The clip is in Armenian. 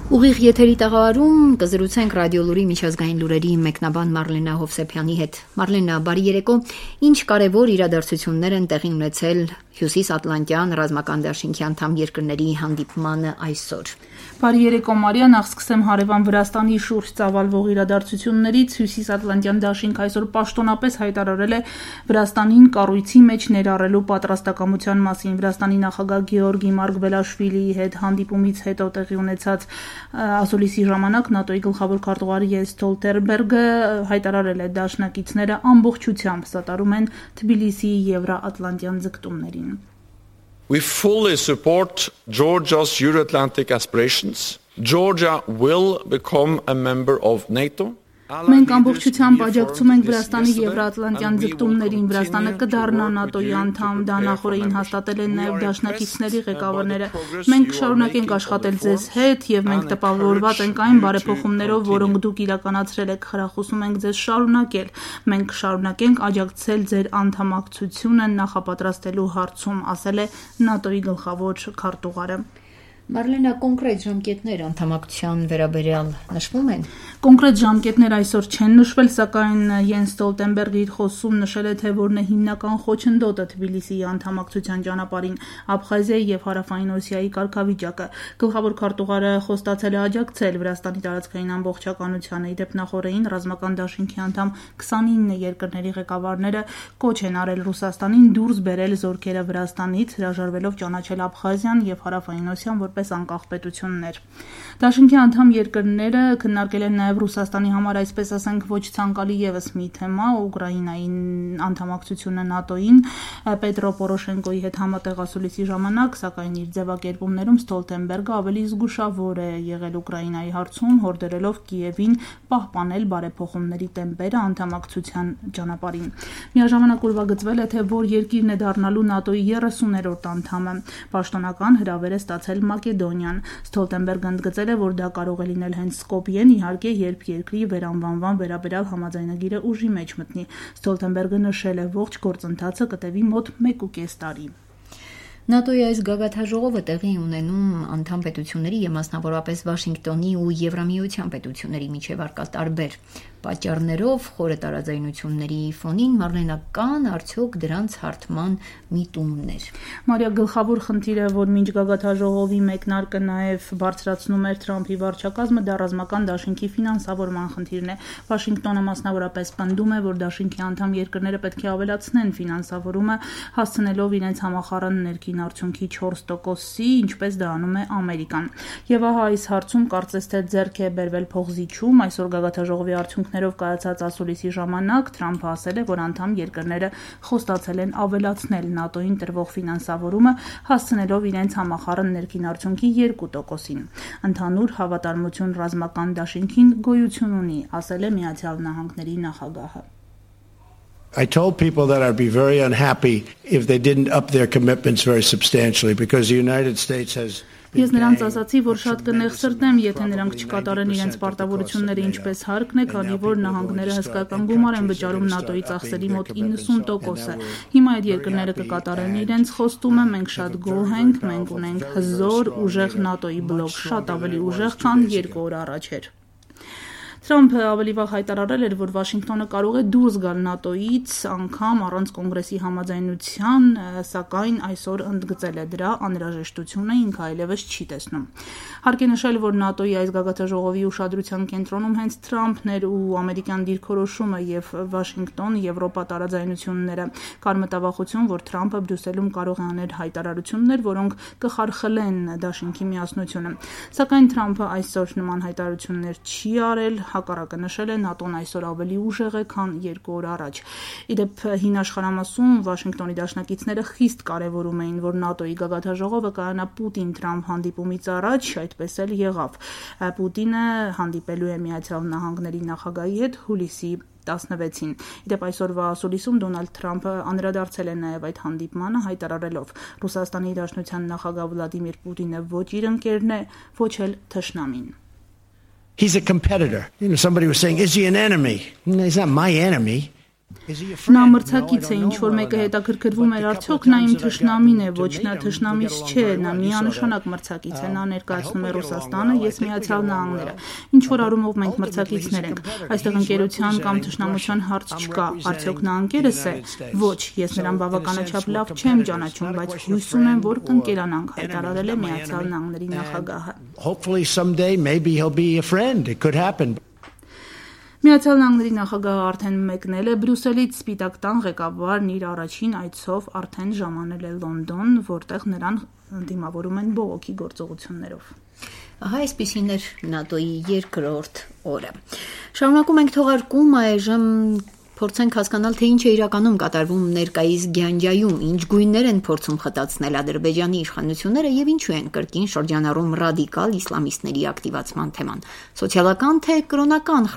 Ուղիղ եթերի տաղավարում կզրուցենք ռադիոլուրի միջազգային լուրերի մեկնաբան Մարլենա Հովսեփյանի հետ։ Մարլենա, բարի երեկո։ Ինչ կարևոր իրադարձություններ են տեղի ունեցել Հյուսիսատլանտյան ռազմական դաշինքի անդամ երկրների հանդիպմանը այսօր։ Բարի երեկո, Մարիա, նախ սկսեմ հարևան Վրաստանի շուրջ ծավալվող իրադարձություններից։ Հյուսիսատլանտյան դաշինք այսօր պաշտոնապես հայտարարել է Վրաստանին կառույցի մեջ ներառելու պատրաստակամության մասին։ Վրաստանի նախագահ Գեորգի Մարգվելաշվիլիի հետ հանդիպումից հետո տեղի ունեցած ասուլիսի ժամանակ ՆԱՏՕ-ի գլխավոր քարտուղար Յենս Ստոլտենբերգը հայտարարել է դաշնակիցները ամբողջությամբ սատարում են Թբիլիսիի եվրոատլանտյան ձգտումներին։ We fully support Georgia's Euro-Atlantic aspirations. Georgia will become a member of NATO. Մենք ամբողջությամբ աջակցում ենք Վրաստանի եվրոատլանտյան ձգտումներին։ Վրաստանը կդառնա ՆԱՏՕ-ի անդամ, դա նախորդին հաստատել են նաև դաշնակիցների ղեկավարները։ Մենք կշարունակենք աշխատել ձեզ հետ եւ մենք տպավորված ենք այն բարեփոխումներով, որոնք դուք իրականացրել եք, խրախուսում ենք ձեզ շարունակել։ Մենք կշարունակենք աջակցել ձեր անդամակցությունը նախապատրաստելու հարցում, ասել է ՆԱՏՕ-ի գլխավոր քարտուղարը։ Մարլենա, կոնկրետ ժամկետներ անդամակցության վերաբերյալ նշվում են։ Կոնկրետ ժամկետներ այսօր չեն նշվել, սակայն Յենս Ստոլտենբերգը իր խոսքում նշել է, թե որն է հիմնական խոչընդոտը Թբիլիսիի անդամակցության ճանապարհին, Աբխազիայի եւ Հարավային Օսիայի կարգավիճակը։ Գլխավոր քարտուղարը խոստացել է աջակցել Վրաստանի տարածքային ամբողջականությանը։ Իդեպ նախորդին ռազմական դաշինքի անդամ 29 երկրների ղեկավարները կոչ են արել Ռուսաստանին դուրս բերել զորքերը Վրաստանից, հրաժարվելով ճանաչել Աբխազիան եւ Հարավային Օսիան որպես անկախ պետություններ։ Դաշինքի անդամ երկրները քննարկել են նաև Ռուսաստանի համար, այսպես ասենք, ոչ ցանկալի եւս մի թեմա, Ուկրաինայի անդամակցությունը ՆԱՏՕ-ին։ Պետրո Պորոշենկոյի հետ համատեղ ասուլիսի ժամանակ, սակայն իր ձևակերպումներում Ստոլտենբերգը ավելի զգուշավոր է եղել Ուկրաինայի հարցում, հորդորելով Կիևին պահպանել բարեփոխումների տեմպերը անդամակցության ճանապարհին։ Միաժամանակ ուրվագծվել է, թե որ երկիրն է դառնալու ՆԱՏՕ-ի 30-րդ անդամը։ Պաշտոնական հրավեր է ստացել Մակեդոնիան։ Ստոլտենբերգը ընդգծել է, որ դա կարող է լինել հենց Սկոպիեն, իհարկե, երբ երկրի վերանվանման վերաբերյալ համաձայնագիրը ուժի մեջ մտնի։ Ստոլտենբերգը նշել է, ողջ գործընթացը կտևի մոտ 1.5 տարի։ ՆԱՏՕ-ի այս գագաթնաժողովը տեղի ունենում անդամ պետությունների եւ մասնավորապես Վաշինգտոնի ու Եվրամիության պետությունների միջև առկա տարբեր պատճառներով խորը տարաձայնությունների ֆոնին Մարլենական արդյոք դրանց հարթման միտումներ։ Մարիա, գլխավոր խնդիրը, որ մինչ գագաթնաժողովի մեկնարկը նաև բարձրացնում էր Թրամփի վարչակազմը, դա ռազմական դաշինքի ֆինանսավորման խնդիրն է։ Վաշինգտոնը մասնավորապես պնդում է, որ դաշինքի անդամ երկրները պետք է ավելացնեն ֆինանսավորումը, հասցնելով իրենց համախառն ներքին արդյունքի 4%-ի, ինչպես դա անում է Ամերիկան։ Եվ ահա այս հարցում կարծես թե ձեռք է բերվել փոխզիջում։ Այսօր գագաթնաժողովի արդյունքներով կայացած ասուլիսի ժամանակ Թրամփը ասել է, որ անդամ երկրները խոստացել են ավելացնել ՆԱՏՕ-ին տրվող ֆինանսավորումը, հասցնելով իրենց համախառն ներքին արդյունքի 2%-ին։ Ընդհանուր հավատարմություն ռազմական դաշինքին գոյություն ունի, ասել է Միացյալ Նահանգների նախագահը։ I told people that I'd be very unhappy if they didn't up their commitments very substantially because the United States has Ես նրանց ասացի, որ շատ կնեղսրտեմ, եթե նրանք չկատարեն իրենց պարտավորությունները ինչպես հարկն է, քանի որ նահանգները հսկայական գումար են վճարում ՆԱՏՕ-ի ծախսերի մոտ 90%-ը։ Հիմա այդ երկրները կկատարեն իրենց խոստումը, մենք շատ գոհ ենք, մենք ունենք հզոր, ուժեղ ՆԱՏՕ-ի բլոկ, շատ ավելի ուժեղ, քան 2 օր առաջ էր։ Թրամփը ավելի վաղ հայտարարել էր, որ Վաշինգտոնը կարող է դուրս գալ ՆԱՏՕ-ից անգամ առանց կոնգրեսի համաձայնության, սակայն այսօր ընդգծել է դրա անհրաժեշտությունը, ինքը այլևս չի տեսնում։ Հարկ է նշել, որ ՆԱՏՕ-ի այս գագաթնաժողովի ուշադրության կենտրոնում հենց Թրամփն էր ու ամերիկյան դիրքորոշումը եւ Վաշինգտոն-Եվրոպա տարաձայնությունները։ Կար մտավախություն, որ Թրամփը Բրյուսելում կարող է անել հայտարարություններ, որոնք կխարխլեն դաշինքի միասնությունը։ Սակայն Թրամփը այսօր նման հայտարարություններ չի արել, հակառակը նշել է ՆԱՏՕ-ն այսօր ավելի ուժեղ է, քան 2 օր առաջ։ Իդեպ հին աշխարհամասում Վաշինգտոնի դաշնակիցները խիստ կարևորում էին, որ ՆԱՏՕ-ի գագաթնաժողովը կայանա Պուտին-Թրամփ հանդիպումից առաջ, այդպես էլ եղավ։ Պուտինը հանդիպելու է Միացյալ Նահանգների նախագահի հետ հուլիսի 16-ին։ Իդեպ այսօրվա ասուլիսում Դոնալդ Թրամփը անդրադարձել է նաև այդ հանդիպմանը, հայտարարելով. Ռուսաստանի Դաշնության նախագահ Վլադիմիր Պուտինը ոչ իր ընկերն է, ոչ էլ թշնամին։ He's a competitor. Somebody was saying, is he an enemy? He's not my enemy. Նա մրցակից է, ինչ որ մեկը հետաքրքրվում էր արդյոք նա իմ թշնամին է, ոչ նա թշնամիս չէ, նա միանշանակ մրցակից է, նա ներկայացնում է Ռուսաստանը, ես Միացյալ Նահանգները, ինչ որ առումով մենք մրցակիցներ ենք, այստեղ ընկերության կամ թշնամության հարց չկա, արդյոք նա ընկերս է, ոչ, ես նրան բավականաչափ լավ չեմ ճանաչում, բայց հույս ունեմ, որ կընկերանանք, հայտարարել է Միացյալ Նահանգների նախագահը։ Hopefully someday maybe he'll be a friend. It could happen. Միացյալ Նահանգների նախագահը արդեն մեկնել է Բրյուսելից, Սպիտակ տան ղեկավարն իր առաջին այցով արդեն ժամանել է Լոնդոն, որտեղ նրան դիմավորում են բողոքի գործողություններով։ Ահա այսպիսին էր ՆԱՏՕ-ի երկրորդ օրը։ Շարունակում ենք թողարկում, այժմ փորձենք հասկանալ, թե ինչ է իրականում կատարվում ներկայիս Գյանջայում, ինչ գույներ են փորձում խտացնել Ադրբեջանի իշխանությունները եւ ինչու են կրկին շրջանառում ռադիկալ իսլամիստների ակտիվացման թեման։ Սոցիալական թե կրոնական